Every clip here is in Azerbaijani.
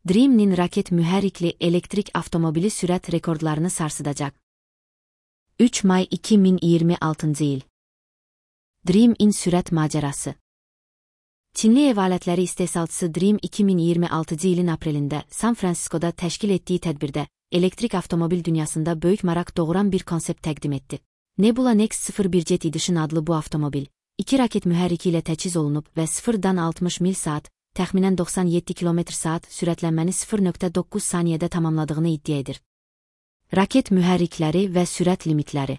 Dream'nin raket mühərrikli elektrik avtomobili sürət rekordlarını sarsıdacaq. 3 may 2026 il. Dream-in sürət macərası. Çinli ev alətləri istehsalçısı Dream 2026 ilin aprelində San Francisco'da təşkil etdiyi tədbirdə elektrik avtomobil dünyasında böyük maraq doğuran bir konsept təqdim etdi. Nebula Next 01 Jet Edition adlı bu avtomobil, 2 raket mühərriki ilə təchiz olunub və 0-dan 60 mil saat, təxminən 97 km/saat sürətlənməni 0.9 saniyədə tamamladığını iddia edir. Raket mühərrikləri və sürət limitləri.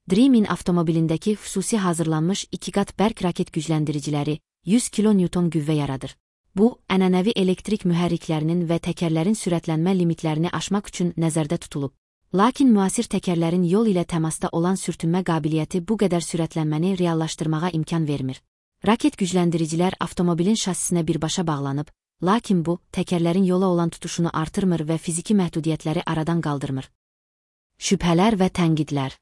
Dream-in avtomobilindəki xüsusi hazırlanmış 2 qat bərk raket gücləndiriciləri 100 kN qüvvə yaradır. Bu, ənənəvi elektrik mühərriklərinin və təkərlərin sürətlənmə limitlərini aşmaq üçün nəzərdə tutulub. Lakin müasir təkərlərin yol ilə təmasda olan sürtünmə qabiliyyəti bu qədər sürətlənməni reallaşdırmağa imkan vermir. Raket gücləndiricilər avtomobilin şasisinə birbaşa bağlanıb, lakin bu, təkərlərin yola olan tutuşunu artırmır və fiziki məhdudiyyətləri aradan qaldırmır. Şübhələr və tənqidlər.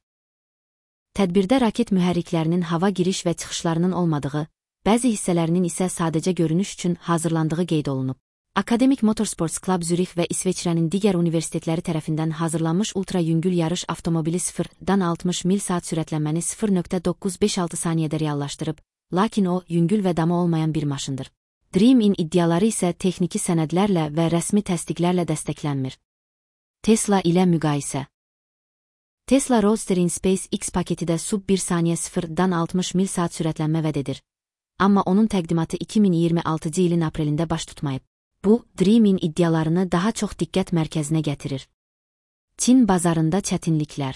Tədbirdə raket mühərriklərinin hava giriş və çıxışlarının olmadığı, bəzi hissələrinin isə sadəcə görünüş üçün hazırlandığı qeyd olunub. Akademik Motorsports Club Zürix və İsveçrənin digər universitetləri tərəfindən hazırlanmış ultra-yüngül yarış avtomobili 0-dan 60 mil saat sürətlənməni 0.956 saniyədə reallaşdırıb, lakin o, yüngül və damı olmayan bir maşındır. Dream-in iddiaları isə texniki sənədlərlə və rəsmi təsdiqlərlə dəstəklənmir. Tesla ilə müqayisə. Tesla Roadster in SpaceX paketidə sub 1 saniyə 0-dan 60 mil saat sürətlənmə vəd edir. Amma onun təqdimatı 2026 ilin aprelində baş tutmayıb. Bu, Dream-in iddialarını daha çox diqqət mərkəzinə gətirir. Çin bazarında çətinliklər.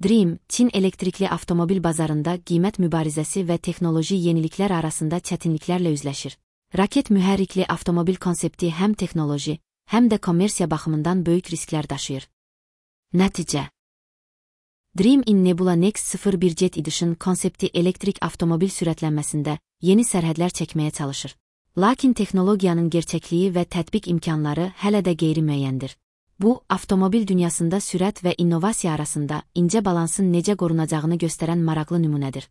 Dream, Çin elektrikli avtomobil bazarında qiymət mübarizəsi və texnoloji yeniliklər arasında çətinliklərlə üzləşir. Raket mühərrikli avtomobil konsepti həm texnoloji, həm də kommersiya baxımından böyük risklər daşıyır. Nəticə. Dream-in Nebula Next 01 Jet Edition konsepti elektrik avtomobil sürətlənməsində yeni sərhədlər çəkməyə çalışır. Lakin texnologiyanın gerçəkliyi və tətbiq imkanları hələ də qeyri-müəyyəndir. Bu, avtomobil dünyasında sürət və innovasiya arasında incə balansın necə qorunacağını göstərən maraqlı nümunədir.